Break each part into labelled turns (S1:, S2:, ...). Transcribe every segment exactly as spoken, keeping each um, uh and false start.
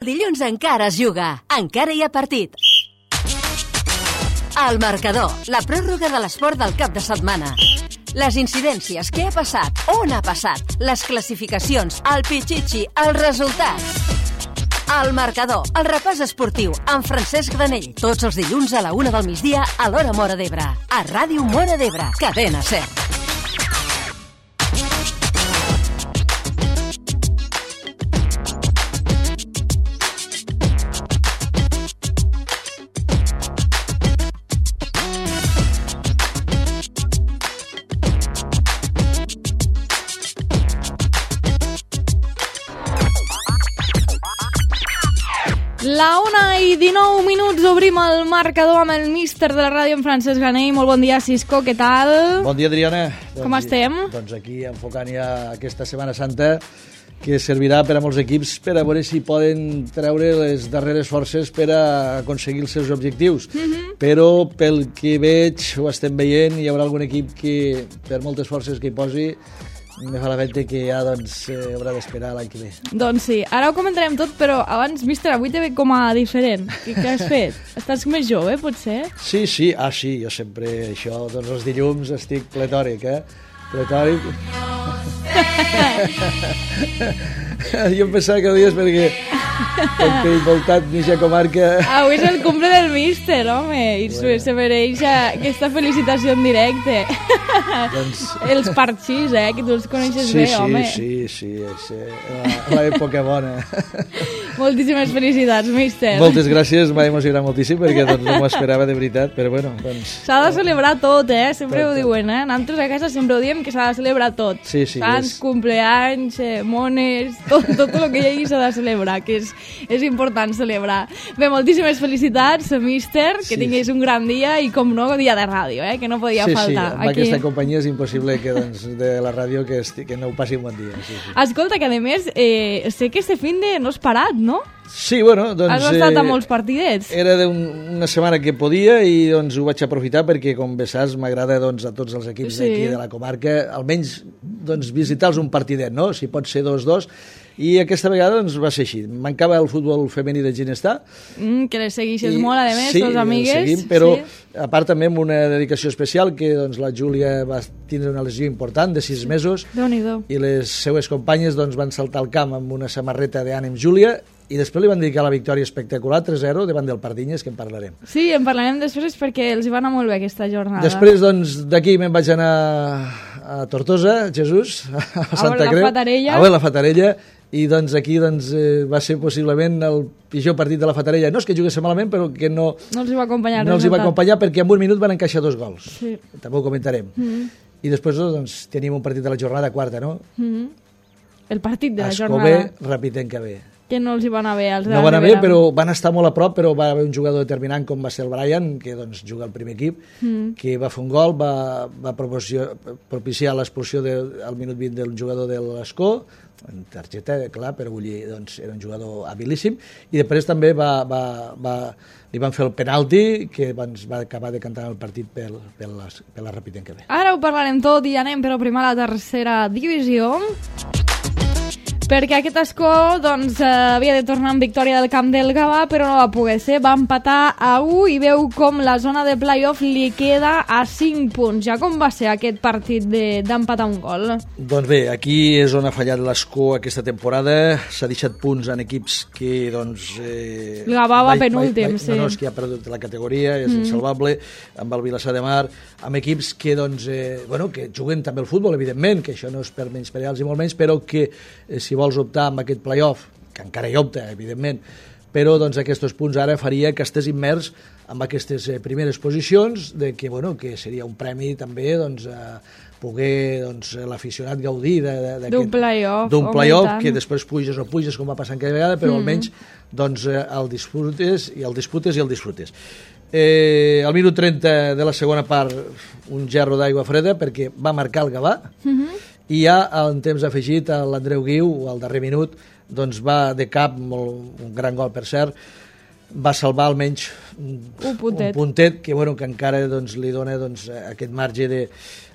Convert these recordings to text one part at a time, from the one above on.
S1: Dilluns encara es juga, encara hi ha partit. El marcador, la pròrroga de l'esport del cap de setmana. Les incidències, què ha passat, on ha passat, les classificacions, el pitxitxi, els resultats. El marcador, el repàs esportiu, amb Francesc Granell. Tots els dilluns a la una del migdia a l'hora Móra d'Ebre. A Ràdio Móra d'Ebre, cadena SER.
S2: La una i dinou minuts, obrim el marcador amb el míster de la ràdio, en Francesc Granell. Molt bon dia, Cisco, què tal?
S3: Bon dia, Adriana.
S2: Com doncs, estem?
S3: Doncs aquí enfocant ja aquesta Setmana Santa, que servirà per a molts equips per a veure si poden treure les darreres forces per a aconseguir els seus objectius. Mm-hmm. Però pel que veig, ho estem veient, hi haurà algun equip que, per moltes forces que hi posi, me fa la venta que ja doncs, eh, haurà d'esperar l'any que ve.
S2: Doncs sí, ara ho comentarem tot, però abans, míster, avui te veig com a diferent. Què, què has fet? Estàs més jove, potser?
S3: Sí, sí, ah sí, jo sempre, això, doncs els dilluns estic pletòric, eh? Pletòric. Jo em pensava que ho dies perquè com que he voltat mitja comarca...
S2: Avui és el cumple del míster, home, i bueno, se mereix aquesta felicitació en directe. Doncs... Els parxís, eh, que tu els coneixes
S3: sí,
S2: bé,
S3: sí,
S2: home.
S3: Sí, sí, sí, és l'època bona.
S2: Moltíssimes felicitats, míster.
S3: Moltes gràcies, m'ha emocionat moltíssim perquè doncs, no m'ho esperava de veritat, però bueno, doncs...
S2: S'ha de celebrar tot, eh, sempre tot, ho diuen, eh? Nosaltres a casa sempre ho diem que s'ha de celebrar tot.
S3: Sí, sí.
S2: Sants,
S3: és...
S2: cumpleanys, eh, mones, tot, tot el que hi hagi s'ha de celebrar, que és, és important celebrar. Bé, moltíssimes felicitats, míster, que sí, tinguis un gran dia i, com no, dia de ràdio, eh, que no podia
S3: sí,
S2: faltar.
S3: Sí, amb
S2: aquí.
S3: Aquesta companyia és impossible que, doncs, de la ràdio que, esti, que no ho passi un bon dia. Sí, sí.
S2: Escolta, que a més, eh, sé que este fin de no has parat, no?
S3: Sí, bueno, doncs...
S2: Has estat a
S3: eh,
S2: molts partidets.
S3: Era un, una setmana que podia i doncs ho vaig aprofitar perquè, com bé saps, m'agrada doncs, a tots els equips sí, d'aquí de la comarca, almenys doncs, visitar-los un partidet, no? Si pot ser dos-dos. I aquesta vegada doncs, va ser així. Mancava el futbol femení de Ginestar.
S2: Mm, que les seguixes molt, a més,
S3: sí,
S2: les amigues.
S3: Seguim, però
S2: sí,
S3: a part també amb una dedicació especial que doncs, la Júlia va tindre una lesió important de sis mesos i les seues companyes doncs, van saltar al camp amb una samarreta d'Ànim Júlia i després li van dedicar la victòria espectacular tres zero davant del Pardinyes, que en parlarem.
S2: Sí, en parlarem després perquè els hi va anar molt bé aquesta jornada.
S3: Després doncs, d'aquí me'n vaig anar a Tortosa, Jesús, a Santa Creu.
S2: A la Fatarella.
S3: A veure la Fatarella. I doncs aquí doncs, eh, va ser possiblement el pitjor partit de la Fatarella. No és que jugués malament, però que no...
S2: No els hi va acompanyar.
S3: No els hi va acompanyar perquè en un minut van encaixar dos gols.
S2: Sí.
S3: També ho comentarem. Mm-hmm. I després doncs, tenim un partit de la jornada quarta, no?
S2: Mm-hmm. El partit de la
S3: Escobé,
S2: jornada.
S3: Escobé, Rapitenca-B.
S2: Que no els hi van anar bé. Els
S3: no van anar bé, però van estar molt a prop, però va haver un jugador determinant com va ser el Brian, que doncs, juga al primer equip, mm. que va fer un gol, va, va propiciar l'expulsió al minut vint del jugador de l'Escó, en targeta, clar, però vull dir, doncs, era un jugador habilíssim, i després també va, va, va, li van fer el penalti, que doncs, va acabar decantant el partit per, per, la, per la Rapitenca-B.
S2: Ara ho parlarem tot i anem però primer a la tercera divisió, perquè aquest Escó doncs, eh, havia de tornar amb victòria del camp del Gavà, però no va poder ser, va empatar a u i veu com la zona de play-off li queda a cinc punts. Ja com va ser aquest partit d'empatar de, un gol?
S3: Doncs bé, aquí és on ha fallat l'Escó aquesta temporada, s'ha deixat punts en equips que doncs... Eh,
S2: el Gavà va penúltim, sí.
S3: No, no, és que ha perdut la categoria, és mm. insalvable, amb el Vilassar de Mar, amb equips que doncs, eh, bueno, que juguen també el futbol, evidentment, que això no és per menysprear-los i molt menys, però que eh, si vols optar amb aquest play-off, que encara hi opta, evidentment, però doncs, aquests punts ara faria que estigués immers en aquestes eh, primeres posicions, de que, bueno, que seria un premi també doncs, a poder doncs, l'aficionat gaudir
S2: d'un play-off,
S3: d'un play-off que després puges o puges com va passant cada vegada, però mm. almenys doncs, el disfrutes i el disputes i el disfrutes. Eh, al minut trenta de la segona part un gerro d'aigua freda perquè va marcar el Gavà mm-hmm. i ja en temps afegit l'Andreu Guiu al darrer minut doncs va de cap, molt, un gran gol per cert, va salvar almenys
S2: un puntet,
S3: un puntet que, bueno, que encara doncs, li dona doncs, aquest marge de,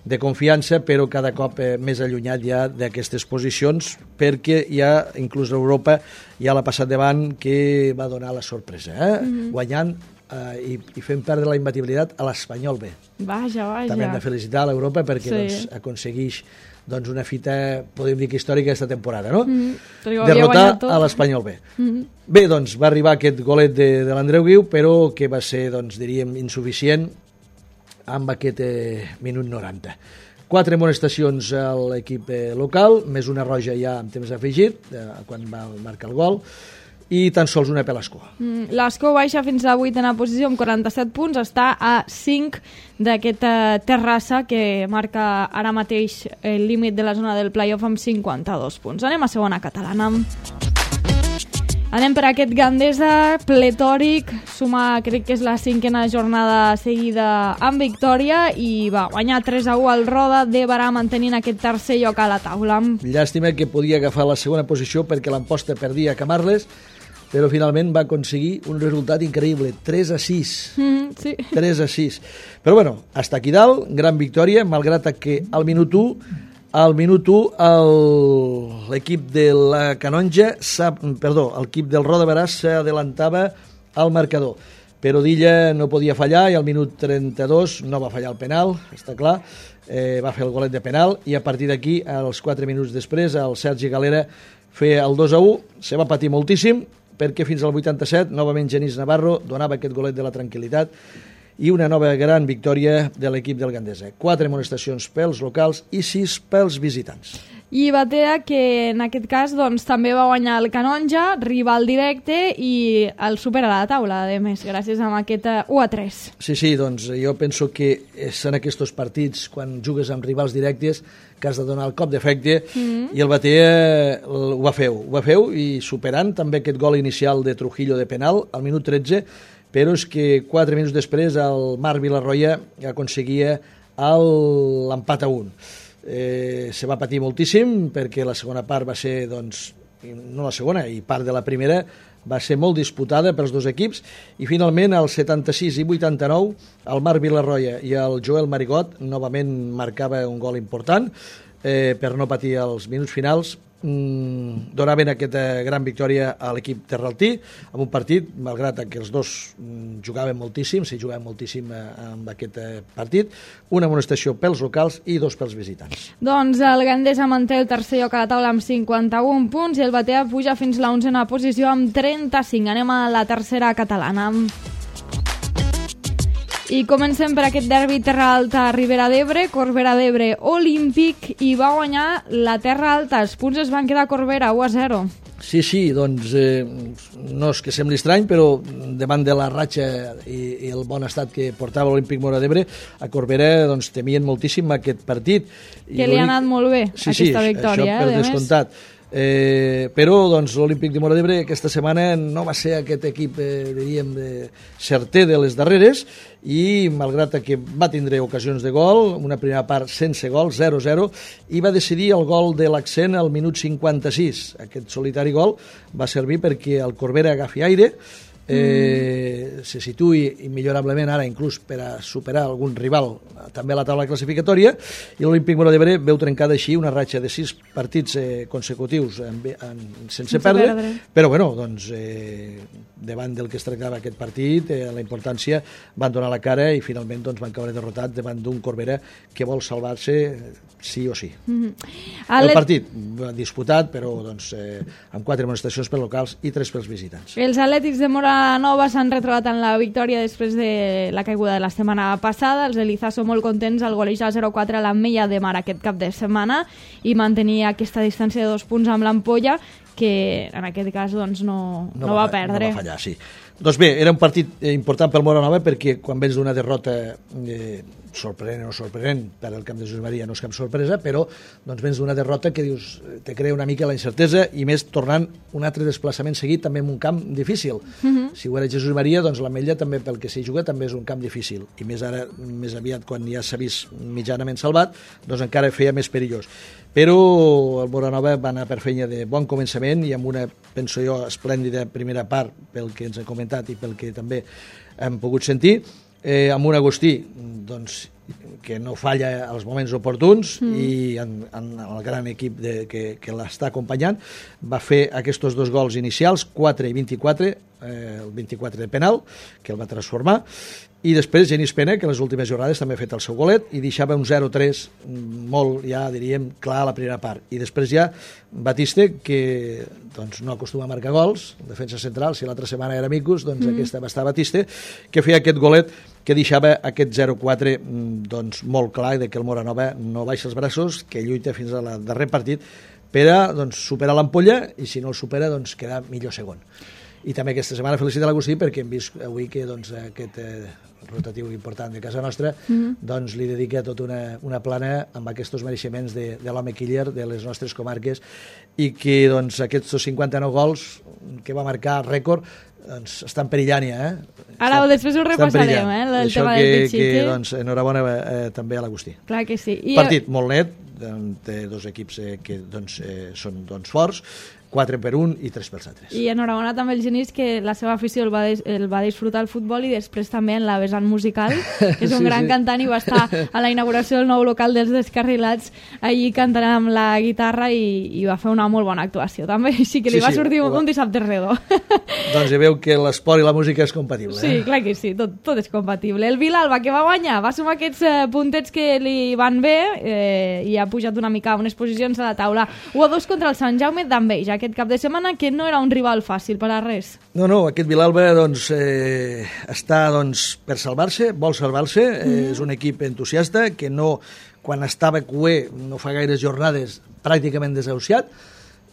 S3: de confiança, però cada cop eh, més allunyat ja d'aquestes posicions, perquè ja, inclús l'Europa, ja l'ha passat davant, que va donar la sorpresa, eh? Mm-hmm. guanyant eh, i, i fent perdre la imbatibilitat a l'Espanyol B.
S2: Vaja, vaja.
S3: També hem de felicitar l'Europa perquè
S2: sí.
S3: doncs, aconsegueix doncs, una fita, podem dir que històrica aquesta temporada, no?
S2: Mm-hmm.
S3: Derrotar a l'Espanyol B.
S2: Mm-hmm.
S3: Bé, doncs, va arribar aquest golet de, de l'Andreu Guiu, però que va ser, doncs, diríem, insuficient amb aquest eh, minut noranta. Quatre amonestacions a l'equip eh, local, més una roja ja amb temps afegit, eh, quan va marcar el gol, i tan sols una per l'Escó.
S2: Mm, L'Escó baixa fins a la vuitena posició amb quaranta-set punts, està a cinc d'aquesta Terrassa que marca ara mateix el límit de la zona del play-off amb cinquanta-dos punts. Anem a segona catalana. Anem per aquest Gandesa pletòric, suma, crec que és la cinquena jornada seguida amb victòria i va guanyar tres a u al Roda de Barà mantenint aquest tercer lloc a la taula.
S3: Llàstima que podia agafar la segona posició perquè l'Amposta perdia a Camarles, però finalment va aconseguir un resultat increïble, tres a sis.
S2: Mm, sí.
S3: tres a sis. Però bueno, hasta aquí dalt, gran victòria, malgrat que al minut u Al minut u, l'equip de la Canonja, perdó, l'equip del Roda Barà s'adelantava al marcador. Però Dilla no podia fallar i al minut trenta-dos no va fallar el penal, està clar, eh, va fer el golet de penal i a partir d'aquí, als quatre minuts després, el Sergi Galera feia el dos a u, se va patir moltíssim perquè fins al vuitanta-set, novament Genís Navarro donava aquest golet de la tranquil·litat i una nova gran victòria de l'equip del Gandesa. Quatre amonestacions pels locals i sis pels visitants.
S2: I Batea, que en aquest cas doncs, també va guanyar el Canonja, rival directe, i el supera a la taula, a més, gràcies a aquest u a tres.
S3: Sí, sí, doncs jo penso que és en aquests partits, quan jugues amb rivals directes, que has de donar el cop d'efecte, mm-hmm. i el Batea ho va fer, ho va fer, i superant també aquest gol inicial de Trujillo de penal, al minut tretze, però és que quatre minuts després el Marc Vilarroya aconseguia l'empat a un. Eh, se va patir moltíssim perquè la segona part va ser, doncs, no la segona, i part de la primera va ser molt disputada pels dos equips i finalment al setanta-sis i vuitanta-nou el Marc Vilarroya i el Joel Marigot novament marcava un gol important eh, per no patir els minuts finals. Mm, donaven aquesta gran victòria a l'equip terraltí amb un partit, malgrat que els dos mm, jugaven moltíssim, s'hi jugaven moltíssim eh, amb aquest eh, partit, una amonestació pels locals i dos pels visitants.
S2: Doncs el Gandesa manté el tercer lloc a la taula amb cinquanta-un punts i el Batea puja fins a l'onzena posició amb trenta-cinc. Anem a la tercera catalana. I comencem per aquest derbi Terra Alta Ribera d'Ebre, Corbera d'Ebre Olímpic, i va guanyar la Terra Alta. Els punts es van quedar a Corbera, u a zero.
S3: Sí, sí, doncs eh, no és que sembli estrany, però davant de la ratxa i, i el bon estat que portava l'Olímpic Móra d'Ebre, a Corbera doncs, temien moltíssim aquest partit.
S2: Que I li ha anat molt bé,
S3: sí,
S2: aquesta
S3: sí,
S2: victòria.
S3: Això per
S2: eh,
S3: descomptat. Eh, però doncs, l'Olímpic de Móra d'Ebre aquesta setmana no va ser aquest equip eh, diríem, eh, certer de les darreres i malgrat que va tindre ocasions de gol, una primera part sense gol, zero a zero, i va decidir el gol de l'Accent al minut cinquanta-sis. Aquest solitari gol va servir perquè el Corbera agafi aire, eh, mm. se situï immillorablement ara inclús per a superar algun rival també a la taula classificatòria, i l'Olímpic Móra d'Ebre veu trencada així una ratxa de sis partits eh, consecutius en, en, sense, sense perdre, perdre, però bueno, doncs eh, davant del que es tractava aquest partit, eh, la importància, van donar la cara i finalment doncs, van caure derrotats davant d'un Corbera que vol salvar-se sí o sí. Mm-hmm. El partit disputat, però doncs, eh, amb quatre amonestacions per locals i tres pels visitants.
S2: Els Atlètics de Móra Nova s'han retrobat en la victòria després de la caiguda de la setmana passada. Els Elizaso molt contents al golejar zero a quatre a l'Ametlla de Mar aquest cap de setmana i mantenir aquesta distància de dos punts amb l'Ampolla, que en aquest cas doncs, no, no, no va, va perdre.
S3: No va fallar, sí. Doncs bé, era un partit important pel Móra Nova perquè quan vens d'una derrota eh, sorprenent o sorprenent per al camp de Jesús Maria no és cap sorpresa, però doncs vens d'una derrota que dius, te crea una mica la incertesa i més tornant un altre desplaçament seguit també en un camp difícil. Uh-huh. Si ho era Jesús Maria, doncs l'Ametlla també pel que s'hi juga també és un camp difícil i més ara, més aviat quan ja s'ha vist mitjanament salvat, doncs encara feia més perillós. però el Moranova va anar per feina de bon començament i amb una, penso jo, esplèndida primera part pel que ens han comentat i pel que també hem pogut sentir, eh, amb un Agustí doncs, que no falla als moments oportuns mm. i en, en el gran equip de, que, que l'està acompanyant va fer aquests dos gols inicials, quatre i vint-i-quatre, eh, el vint-i-quatre de penal, que el va transformar, i després Genís Pena, que en les últimes jornades també ha fet el seu golet i deixava un zero tres molt, ja diríem, clar a la primera part. I després ja Batiste, que doncs, no acostuma a marcar gols, defensa central, si l'altra setmana era Micus, doncs mm. aquesta va estar Batiste, que feia aquest golet que deixava aquest zero quatre doncs, molt clar de que el Moranova no baixa els braços, que lluita fins al darrer partit per a doncs, superar l'ampolla i si no el supera doncs, quedar millor segon. I també aquesta setmana felicitar l'Agustí perquè hem vist avui que doncs, aquest eh, rotatiu important de casa nostra mm-hmm. doncs, li dedica tota una, una plana amb aquests mereixements de, de l'home killer de les nostres comarques i que doncs, aquests cinquanta-nou gols que va marcar rècord doncs, estan perillant ja. Eh?
S2: Ara estan, després ho repassarem, eh, el
S3: Això
S2: tema
S3: que,
S2: del Pichichi.
S3: que doncs, enhorabona eh, també a l'Agustí.
S2: Clar que sí. I
S3: Partit molt net, té dos equips eh, que doncs, eh, són doncs, forts, quatre per un i tres pels altres.
S2: I enhorabona també el Genís, que la seva afició el va, des, el va disfrutar el futbol i després també en la vessant musical, que és un sí, gran sí. cantant i va estar a la inauguració del nou local dels Descarrilats allí cantant amb la guitarra i, i va fer una molt bona actuació també, així que li sí, va sortir sí, un, un dissabte redó.
S3: Doncs ja veu que l'esport i la música és compatible.
S2: Sí,
S3: eh?
S2: clar que sí, tot, tot és compatible. El Vilalba, que va guanyar, va sumar aquests eh, puntets que li van bé eh, i ha pujat una mica unes posicions a la taula. u a dos contra el Sant Jaume d'Enveja, aquest cap de setmana, que no era un rival fàcil per a res.
S3: No, no, aquest Vilalba doncs, eh, està doncs, per salvar-se, vol salvar-se, eh, mm. és un equip entusiasta que no, quan estava cué, no fa gaires jornades, pràcticament desahuciat,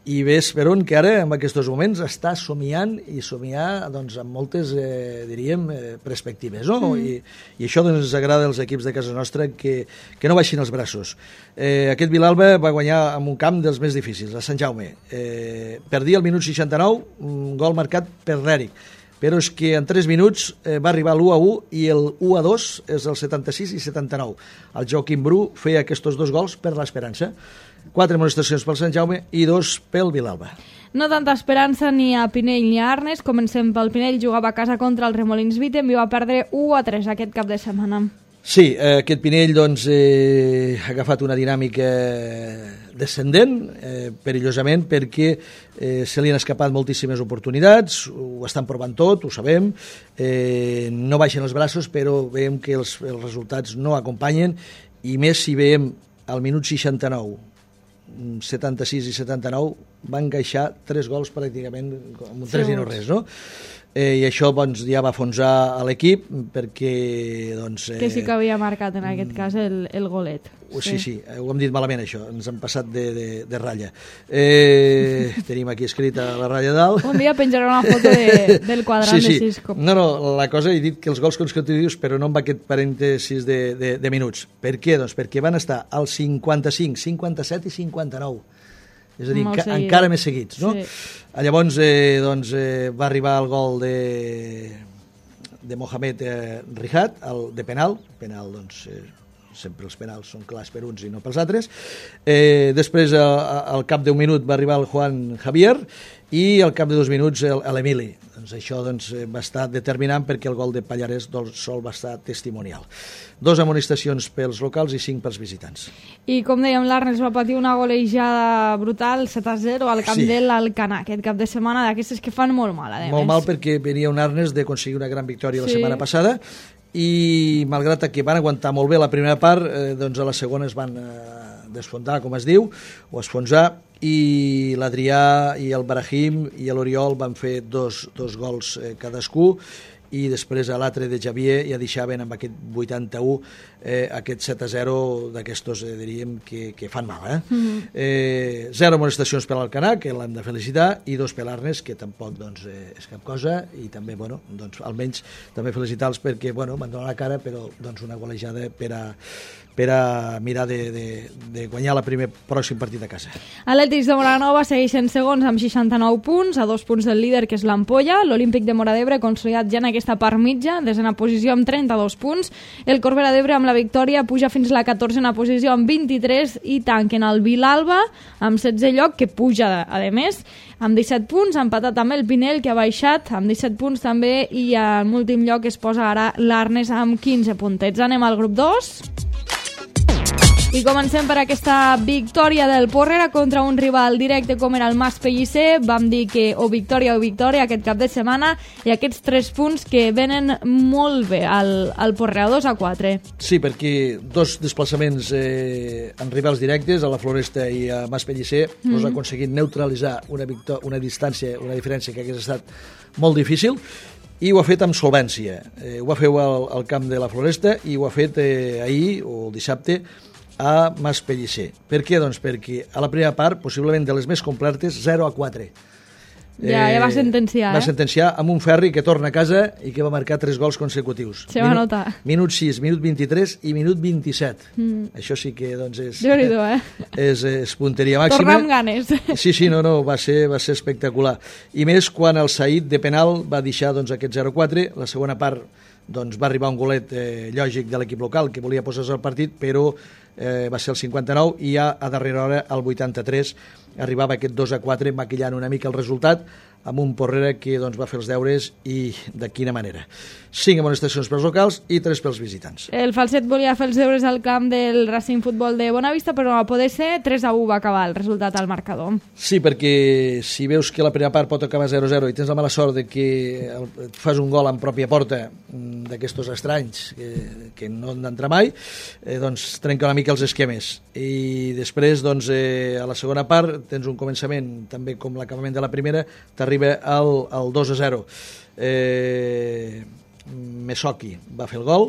S3: i ves per on que ara, en aquests moments, està somiant i somiar doncs, amb moltes, eh, diríem, eh, perspectives. No? Mm. I, I això doncs, ens agrada als equips de casa nostra que, que no baixin els braços. Eh, aquest Vilalba va guanyar en un camp dels més difícils, a Sant Jaume. Eh, perdia el minut seixanta-nou, un gol marcat per l'Eric. Però és que en tres minuts eh, va arribar l'u a u i el u a dos és el setanta-sis i setanta-nou. El Joaquim Bru feia aquests dos gols per l'Esperança. Quatre amonestacions pel Sant Jaume i dos pel Vilalba.
S2: No tanta esperança ni a Pinell ni a Arnes. Comencem pel Pinell, jugava a casa contra el Remolins Vitem i va perdre u a tres aquest cap de setmana.
S3: Sí, eh, aquest Pinell doncs, eh, ha agafat una dinàmica descendent, eh, perillosament, perquè eh, se li han escapat moltíssimes oportunitats, ho estan provant tot, ho sabem, eh, no baixen els braços, però veiem que els, els resultats no acompanyen, i més si veiem al minut seixanta-nou, setanta-sis i setanta-nou, van encaixar tres gols pràcticament amb un tres i no res, no? Eh, I això doncs, ja va afonsar a l'equip perquè... Doncs, eh,
S2: que sí que havia marcat en aquest cas el, el golet.
S3: Sí, sí, sí, ho hem dit malament això, ens hem passat de, de, de ratlla. Eh, tenim aquí escrita la ratlla dalt.
S2: Un dia penjaré una foto de, del quadrant
S3: sí, sí.
S2: de Cisco.
S3: No, no, la cosa he dit que els gols consecutius, però no amb aquest parèntesis de, de, de minuts. Per què? Doncs perquè van estar als cinquanta-cinc, cinquanta-set i cinquanta-nou. És a dir, enca encara més seguits, no? Sí. Llavors, eh, doncs, eh, va arribar el gol de, de Mohamed eh, Rihat, el de penal, penal, doncs, eh, sempre els penals són clars per uns i no pels altres. Eh, després, eh, al cap d'un minut, va arribar el Juan Javier i al cap de dos minuts l'Emili. Doncs això doncs, va estar determinant perquè el gol de Pallarès del Sol va estar testimonial. Dos amonestacions pels locals i cinc pels visitants.
S2: I com dèiem, l'Arnes va patir una golejada brutal, set a zero, al camp sí. de l'Alcanar, aquest cap de setmana, d'aquestes que fan molt mal, a
S3: Molt mal perquè venia un Arnes d'aconseguir una gran victòria sí. la setmana passada i malgrat que van aguantar molt bé la primera part, eh, doncs a la segona es van eh, desfondar, com es diu, o esfonsar, i l'Adrià i el Brahim i l'Oriol van fer dos, dos gols eh, cadascú, i després a l'altre de Javier ja deixaven amb aquest vuitanta-u eh, aquest set a zero d'aquestos, eh, diríem, que, que fan mal. Eh? Mm-hmm. eh, zero amonestacions per l'Alcanar, que l'hem de felicitar, i dos per l'Arnes, que tampoc doncs, eh, és cap cosa, i també, bueno, doncs, almenys també felicitar-los perquè, bueno, van donar la cara, però doncs, una golejada per a per a mirar de, de, de guanyar el primer pròxim partit a casa.
S2: Atlètics de Moranova segueixen segons amb seixanta-nou punts, a dos punts del líder, que és l'Ampolla. L'Olímpic de Móra d'Ebre, consolidat ja en aquesta aquesta part mitja, desena posició amb trenta-dos punts. El Corbera d'Ebre amb la victòria puja fins a la catorzena posició amb vint-i-tres i tanquen el Vilalba amb setze lloc, que puja a més, amb disset punts, empatat amb el Pinell, que ha baixat amb disset punts també, i en últim lloc es posa ara l'Arnes amb quinze puntets. Anem al grup dos. I comencem per aquesta victòria del Porrera contra un rival directe com era el Mas Pellicer. Vam dir que o victòria o victòria aquest cap de setmana, i aquests tres punts que venen molt bé al, al Porrera, dos a quatre.
S3: Sí, perquè dos desplaçaments eh, en rivals directes, a la Floresta i a Mas Pellicer, mm-hmm. us ha aconseguit neutralitzar una, una distància, una diferència que hagués estat molt difícil, i ho ha fet amb solvència. Eh, ho va fer al, al camp de la Floresta i ho ha fet eh, ahir o el dissabte a Mas Pellicer. Per què? Doncs perquè a la primera part, possiblement de les més completes, zero a quatre.
S2: Ja, eh, ja va sentenciar,
S3: va
S2: eh?
S3: sentenciar amb un Ferri que torna a casa i que va marcar tres gols consecutius.
S2: Se va notar.
S3: Minut sis, minut vint-i-tres i minut vint-i-set. Mm. Això sí que, doncs, és...
S2: Déu-n'hi-do, eh?
S3: És, és punteria màxima.
S2: Tornar amb ganes.
S3: Sí, sí, no, no, va ser, va ser espectacular. I més quan el Saïd de penal va deixar, doncs, aquest zero a quatre. La segona part, doncs, va arribar un golet eh, lògic de l'equip local que volia posar-se al partit, però eh, va ser el cinquanta-nou, i ja a darrera hora, al vuitanta-tres, arribava aquest dos a quatre, maquillant una mica el resultat, amb un Porrera que, doncs, va fer els deures, i de quina manera. Cinc amonestacions pels locals i tres pels visitants.
S2: El Falset volia fer els deures al camp del Racing Futbol de Bonavista, però no va poder ser. tres a u va acabar el resultat al marcador.
S3: Sí, perquè si veus que la primera part pot acabar zero a zero i tens la mala sort de que et fas un gol en pròpia porta d'aquestos estranys que, que no han d'entrar mai, eh, doncs trenca una mica els esquemes. I després, doncs, eh, a la segona part tens un començament també com l'acabament de la primera, t'arriba al, al dos a zero. Eh, Mesoki va fer el gol,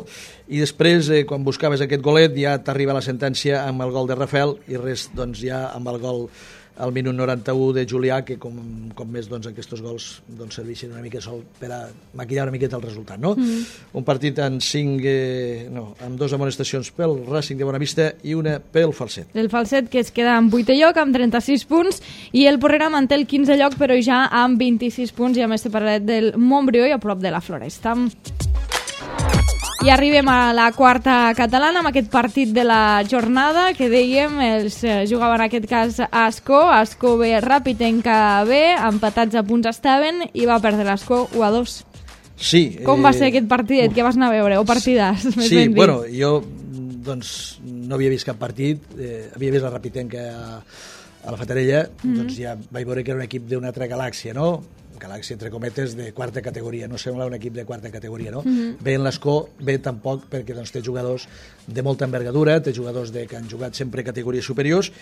S3: i després, eh, quan buscaves aquest golet, ja t'arriba la sentència amb el gol de Rafael, i res, doncs, ja amb el gol al minut noranta-u de Julià, que com, com més, doncs, aquests gols, doncs, serveixen una mica sol per a maquillar una miqueta el resultat, no? Mm. Un partit amb cinc, eh, no, amb dos amonestacions pel Racing de Bonavista i una pel Falset.
S2: El Falset, que es queda en vuitè lloc amb trenta-sis punts, i el Porrera manté el quinzè lloc, però ja amb vint-i-sis punts, i a més separat del Montbrió i a prop de la Floresta. I arribem a la quarta catalana amb aquest partit de la jornada que dèiem, els jugaven en aquest cas a Ascó, Ascó B, Rapitenca B, empatats a punts estaven, i va perdre l'Ascó u a dos.
S3: Sí.
S2: Com eh... va ser aquest partidet? Uh. Què vas anar a veure? O partidàs?
S3: Sí, bueno, jo doncs no havia vist cap partit, eh, havia vist la Rapitenca a, a la Fatarella, mm-hmm. doncs ja vaig veure que era un equip d'una altra galàxia, no? Galàxia, entre cometes, de quarta categoria, no sembla un equip de quarta categoria, no? Mm-hmm. Bé en l'Escó, bé tampoc, perquè doncs, té jugadors de molta envergadura, té jugadors de, que han jugat sempre categories superiors,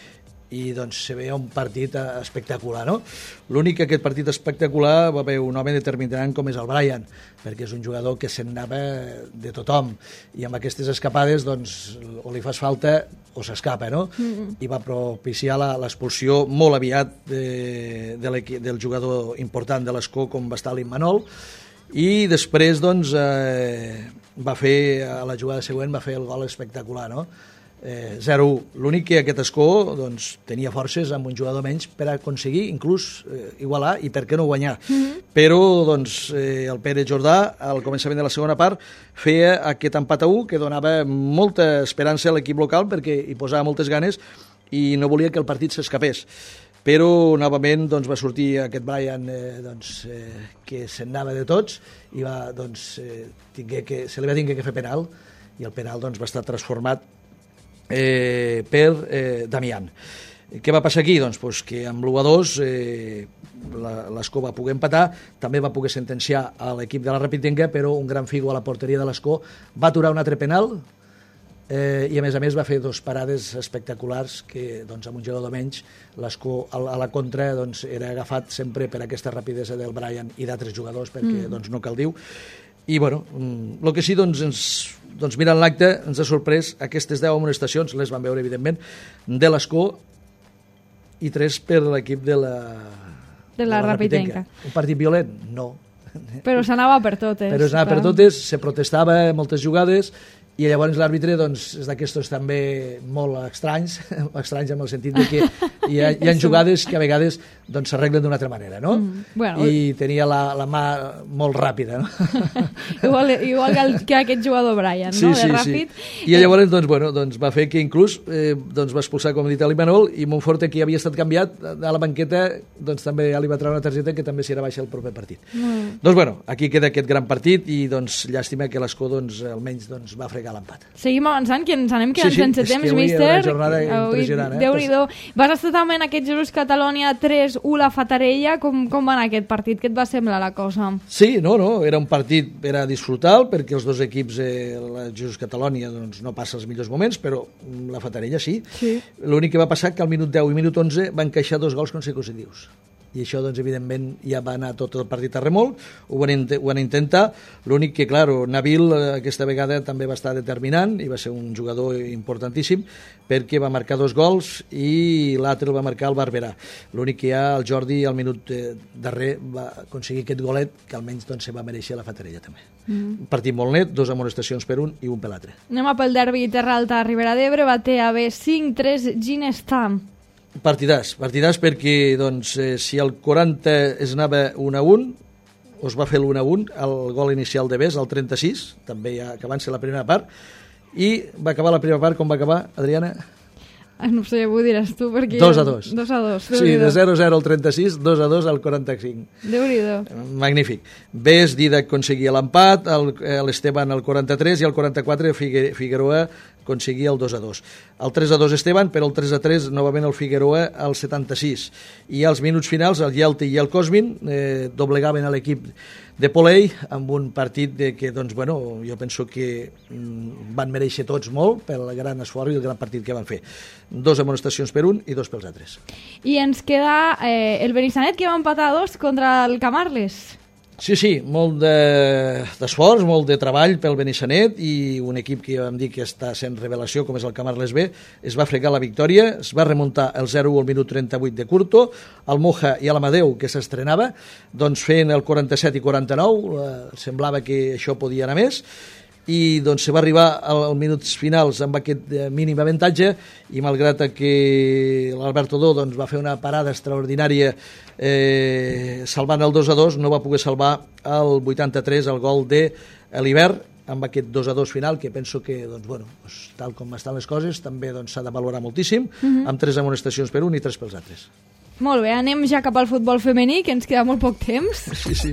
S3: i doncs se veia un partit espectacular, no? L'únic que aquest partit espectacular va haver un home determinant com és el Brian, perquè és un jugador que se'n anava de tothom, i amb aquestes escapades, doncs, o li fas falta o s'escapa, no? Mm-hmm. I va propiciar l'expulsió molt aviat de, de del jugador important de l'Escó, com va estar l'Immanol, i després, doncs, eh, va fer, a la jugada següent, va fer el gol espectacular, no? Eh, zero a u. L'únic que aquest Escó, doncs, tenia forces amb un jugador menys per aconseguir inclús eh, igualar i per què no guanyar. Mm-hmm. Però doncs, eh, el Pere Jordà al començament de la segona part feia aquest empat a u que donava molta esperança a l'equip local perquè hi posava moltes ganes i no volia que el partit s'escapés. Però novament doncs, va sortir aquest Brian eh, doncs, eh, que se'n anava de tots i va, doncs, eh, que, se li va tinguer que fer penal, i el penal doncs, va estar transformat Eh, per eh, Damián. Què va passar aquí? Doncs, pues, que amb l'u a dos eh, l'Escó va poder empatar, també va poder sentenciar a l'equip de la Rapitenca, però un gran figo a la porteria de l'Escó va aturar un altre penal eh, i a més a més va fer dos parades espectaculars que doncs, amb un jugador menys l'Escó a la contra doncs, era agafat sempre per aquesta rapidesa del Brian i d'altres jugadors perquè mm. doncs, no cal dir-ho. I bueno, el que sí, doncs, ens, doncs mirant l'acte, ens ha sorprès aquestes deu amonestacions, les vam veure evidentment, de l'Escó i tres per l'equip de la,
S2: de la, la Rapitenca.
S3: Un partit violent? No.
S2: Però s'anava per totes.
S3: Però s'anava per totes, se protestava moltes jugades, i llavors l'àrbitre doncs, és d'aquestos també molt estranys, estranys en el sentit de que hi ha, hi ha jugades que a vegades doncs s'arreglen d'una altra manera, no?
S2: Mm, bueno,
S3: I tenia la, la mà molt ràpida, no?
S2: igual, igual que, el, que aquest jugador Brian,
S3: sí,
S2: no?
S3: Sí,
S2: de ràpid.
S3: Sí. I llavors doncs, bueno, doncs va fer que inclús eh, doncs va expulsar, com he dit, a l'Imanol, i Montforte, que havia estat canviat a la banqueta, doncs també ja li va treure una targeta que també s'hi era baixa el proper partit. Mm. Doncs bueno, aquí queda aquest gran partit i doncs llàstima que l'Escó doncs, almenys doncs, va fregar l'empat.
S2: Seguim avançant, que ens anem quedant
S3: sí, sí,
S2: sense temps,
S3: avui
S2: míster.
S3: Una jornada impressionant, eh?
S2: Déu-n'hi-do. Vas estar també en aquest Jesús Catalonia tres u la Fatarella. Com, com va anar aquest partit? Què et va semblar la cosa?
S3: Sí, no, no, era un partit per a disfrutar, perquè els dos equips, eh, la Jesús Catalonia doncs, no passa els millors moments, però la Fatarella sí. sí. L'únic que va passar que al minut deu i minut onze van encaixar dos gols consecutius. I això, doncs, evidentment, ja va anar tot el partit a remolc, ho van, ho van intentar, l'únic que, clar, Nabil aquesta vegada també va estar determinant i va ser un jugador importantíssim perquè va marcar dos gols i l'altre el va marcar el Barberà. L'únic que ja el Jordi al minut darrer va aconseguir aquest golet que almenys doncs, se va mereixer la Fatarella també. Mm. Un partit molt net, dos amonestacions per un i un per l'altre.
S2: Anem a pel derbi Terra Alta Ribera d'Ebre, va ter a bé cinc tres Ginestar.
S3: Partidàs, partidàs perquè doncs, eh, si el quaranta es anava un a un, o es va fer l'un a un, el gol inicial de Bes, el trenta-sis, també ja acabant-se la primera part, i va acabar la primera part, com va acabar, Adriana?
S2: No sé, ho diràs tu, perquè...
S3: dos a dos.
S2: dos a dos.
S3: Sí, de zero a zero al trenta-sis, dos a dos al quaranta-cinc.
S2: Déu-n'hi-do.
S3: Magnífic. Bes, Didac aconseguia l'empat, l'Esteban al quaranta-tres i al quaranta-quatre Figueroa aconseguia el dos a dos. El tres a dos Esteban, però el tres a tres novament el Figueroa al setanta-sis. I als minuts finals el Yelti i el Cosmin eh, doblegaven a l'equip de Polei amb un partit de que, doncs, bueno, jo penso que mm, van mereixer tots molt pel gran esforç i el gran partit que van fer. Dos amonestacions per un i dos pels altres.
S2: I ens queda eh, el Benissanet, que va empatar a dos contra el Camarles.
S3: Sí, sí, molt d'esforç, de, molt de treball pel Benissanet i un equip que ja vam dir que està sent revelació, com és el Camarles B, es va fregar la victòria, es va remuntar el zero a u al minut trenta-vuit de Curto, el Moja i l'Amadeu, que s'estrenava, doncs feien el quaranta-set i quaranta-nou, eh, semblava que això podia anar més, i doncs se va arribar als minuts finals amb aquest mínim avantatge i malgrat que l'Alberto Dó doncs, va fer una parada extraordinària eh, salvant el dos a dos, no va poder salvar el vuitanta-tres el gol de l'Hivern amb aquest dos a dos final, que penso que doncs, bueno, doncs, tal com estan les coses també doncs, s'ha de valorar moltíssim, uh-huh. amb tres amonestacions per un i tres pels altres.
S2: Molt bé, anem ja cap al futbol femení, que ens queda molt poc temps.
S3: Sí, sí.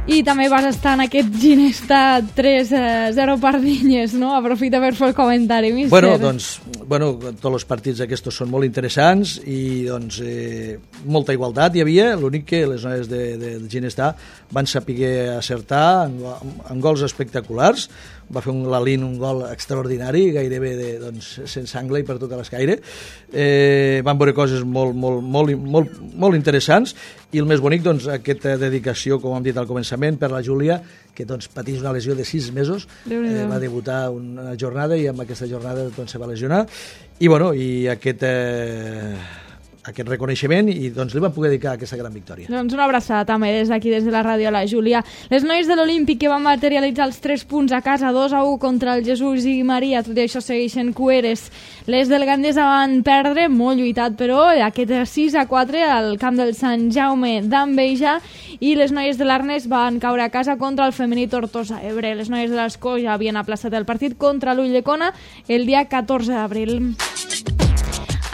S2: I també vas estar en aquest Ginesta tres a zero Pardinyes, no? Aprofita per fer el comentari, míster.
S3: Bueno, doncs, bueno, tots els partits aquests són molt interessants i doncs eh, molta igualtat hi havia, l'únic que les noies de, de, de Ginesta van saber acertar en, en gols espectaculars. Va fer un Lalín un gol extraordinari, gairebé de, doncs, sense angle i per tota l'escaire. Eh, van veure coses molt, molt, molt, molt, molt interessants i el més bonic, doncs, aquesta dedicació, com hem dit al començament, per la Júlia, que doncs, patís una lesió de sis mesos, eh, va debutar una jornada i amb aquesta jornada doncs, se va lesionar. I, bueno, i aquest... Eh, aquest reconeixement i doncs li van poder dedicar aquesta gran victòria.
S2: Doncs una abraçada també des d'aquí, des de la ràdio a la Júlia. Les noies de l'Olímpic que van materialitzar els tres punts a casa, dos a u contra el Jesús i Maria, tot i això segueixen cueres. Les del Gandesa van perdre, molt lluitat, però aquest sis a quatre al camp del Sant Jaume d'Enveja, i les noies de l'Arnès van caure a casa contra el femení Tortosa Ebre. Les noies de l'Escó ja havien aplaçat el partit contra l'Ulldecona el dia catorze d'abril.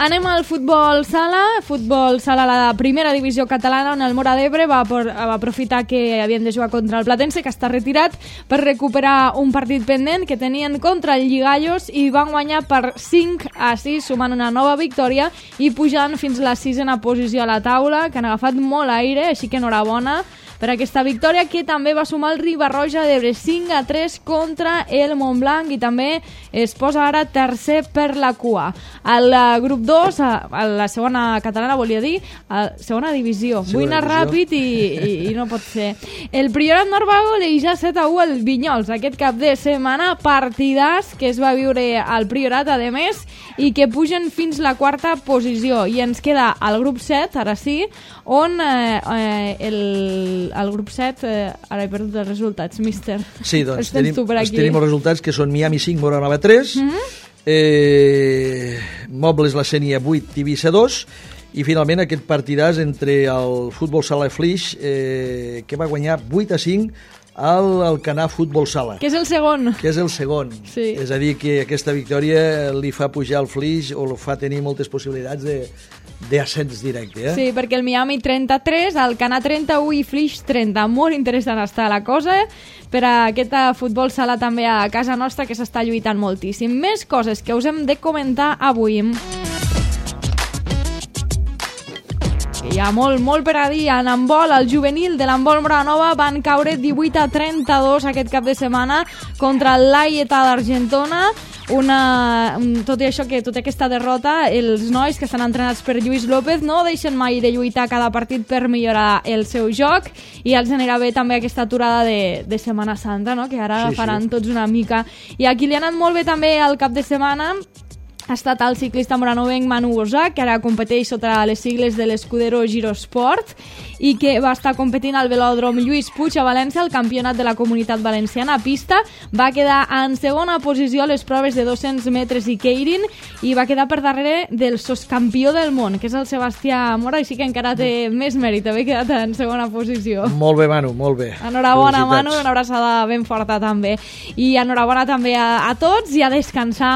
S2: Anem al futbol sala, futbol sala a la primera divisió catalana, on el Móra d'Ebre va, por, va aprofitar que havien de jugar contra el Platense, que està retirat, per recuperar un partit pendent que tenien contra el Lligallos i van guanyar per cinc a sis, sumant una nova victòria i pujant fins a la sisena posició a la taula, que han agafat molt aire, així que enhorabona per aquesta victòria, que també va sumar el Riba-roja d'Ebre cinc a tres contra el Montblanc i també es posa ara tercer per la cua. Al grup dos, a la segona catalana, volia dir, a segona divisió. Segona Vull anar divisió. ràpid i, i, i no pot ser. El Priorat Norbago deixa set a u al Vinyols aquest cap de setmana, partidàs que es va viure al Priorat, a més, i que pugen fins la quarta posició. I ens queda al grup set, ara sí, on eh, eh, el al grup set, eh, ara he perdut els resultats, míster.
S3: Sí, doncs tenim, tenim els resultats que són Miami cinc, Móra Nova tres, mm-hmm. eh, Mobles La Sénia vuit, Tivissa dos, i finalment aquest partidàs entre el Futbol Sala Flix, eh, que va guanyar vuit a cinc al Alcanar Futbol Sala.
S2: Que és el segon.
S3: Que és el segon.
S2: Sí.
S3: És a dir, que aquesta victòria li fa pujar el Flix o li fa tenir moltes possibilitats de d'ascens directe. Eh?
S2: Sí, perquè el Miami trenta-tres, el Alcanar trenta-u i Flix trenta. Molt interessant està la cosa per a aquest futbol sala també a casa nostra, que s'està lluitant moltíssim. Més coses que us hem de comentar avui. Hi ha molt, molt per a dir. En handbol, el juvenil de l'handbol Moranova van caure divuit a trenta-dos aquest cap de setmana contra l'Aieta d'Argentona. Una, tot i això, que tota aquesta derrota, els nois que estan entrenats per Lluís López no deixen mai de lluitar cada partit per millorar el seu joc, i els anirà bé també aquesta aturada de, de Setmana Santa, no? Que ara
S3: sí,
S2: faran
S3: sí.
S2: tots una mica. I a qui li ha anat molt bé també el cap de setmana ha estat el ciclista moranovenc Manu Osà, que ara competeix sota les sigles de l'Escudero Girosport i que va estar competint al velòdrom Lluís Puig a València, el campionat de la Comunitat Valenciana a pista. Va quedar en segona posició a les proves de dos-cents metres i Keirin i va quedar per darrere del soscampió del món, que és el Sebastià Mora, així que encara té més mèrit haver quedat en segona posició.
S3: Molt bé, Manu, molt bé.
S2: Enhorabona, Manu, una abraçada ben forta també. I enhorabona també a, a tots i a descansar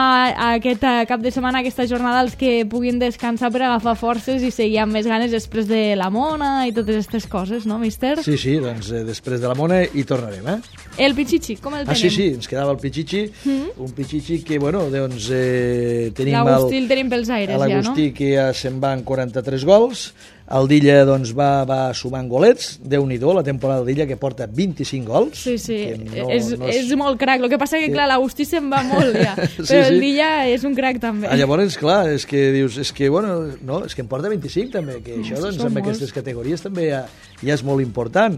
S2: aquest cap de setmana, aquesta jornada, els que puguin descansar per agafar forces i seguir amb més ganes després de la Mona i totes aquestes coses, no, míster?
S3: Sí, sí, doncs eh, després de la Mona hi tornarem, eh?
S2: El Pichichi, com el tenim?
S3: Ah, sí, sí, ens quedava el Pichichi, mm-hmm. un Pichichi que, bueno, doncs eh, tenim el...
S2: L'Agustí el tenim pels aires, ja, no?
S3: L'Agustí que ja se'n va amb quaranta-tres gols, el Dilla doncs, va, va sumant golets, Déu-n'hi-do, la temporada del Dilla, que porta vint-i-cinc gols.
S2: Sí, sí,
S3: no,
S2: és,
S3: no és...
S2: és molt crac. El que passa que, clar, l'Agustí se'n va molt, ja. Però
S3: sí, sí.
S2: el Dilla és un crac, també.
S3: Ah, llavors, clar, és que dius, és que, bueno, no, és que en porta vint-i-cinc, també, que això, doncs, amb molts. Aquestes categories també ja, ja és molt important.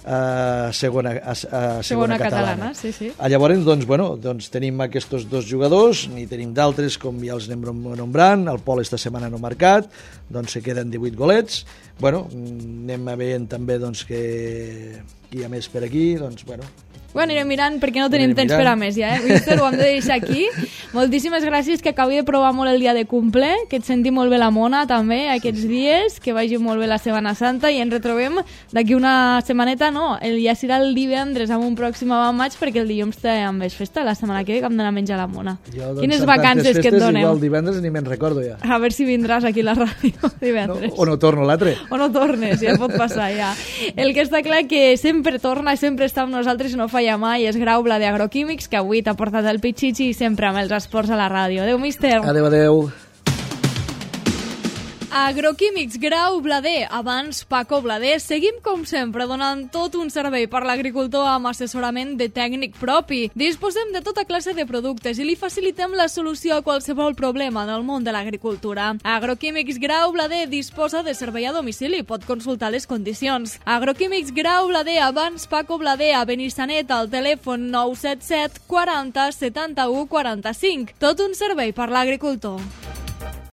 S3: A segona, a, a segona,
S2: segona
S3: catalana.
S2: catalana, sí, sí.
S3: A llavors, doncs, bueno, doncs tenim aquests dos jugadors, n'hi tenim d'altres, com ja els anem nombrant, el Pol esta setmana no marcat, doncs se queden divuit golets. Bueno, anem veient també doncs, que hi ha més per aquí, doncs, bueno...
S2: Ho anirem mirant perquè no tenim temps per a més ja, eh? Mister, ho hem de deixar aquí. Moltíssimes gràcies, que acabi de provar molt el dia de cumple, que et senti molt bé la Mona també aquests dies, que vagi molt bé la Setmana Santa i ens retrobem d'aquí una setmaneta, no, el, ja serà el divendres amb un pròxim avant maig, perquè el dilluns també és festa, la setmana que ve que hem d'anar a menjar la Mona.
S3: Jo, doncs,
S2: quines vacances que et donem.
S3: Igual divendres ni me'n recordo ja.
S2: A veure si vindràs aquí a la ràdio divendres.
S3: No, o no torno l'altre.
S2: O no tornes, ja pot passar ja. El que està clar que sempre torna i sempre està amb nosaltres i no falla mai és Grau Blader Agroquímics, que avui t'ha portat el Pichichi i sempre amb els esports a la ràdio. Adéu, míster.
S3: Adéu, adéu.
S2: Agroquímics Grau Blader, abans Paco Blader. Seguim, com sempre, donant tot un servei per l'agricultor amb assessorament de tècnic propi. Disposem de tota classe de productes i li facilitem la solució a qualsevol problema en el món de l'agricultura. Agroquímics Grau Blader disposa de servei a domicili. Pot consultar les condicions. Agroquímics Grau Blader, abans Paco Blader, a Benissanet, al telèfon nou set set quaranta setanta-u quaranta-cinc. Tot un servei per l'agricultor.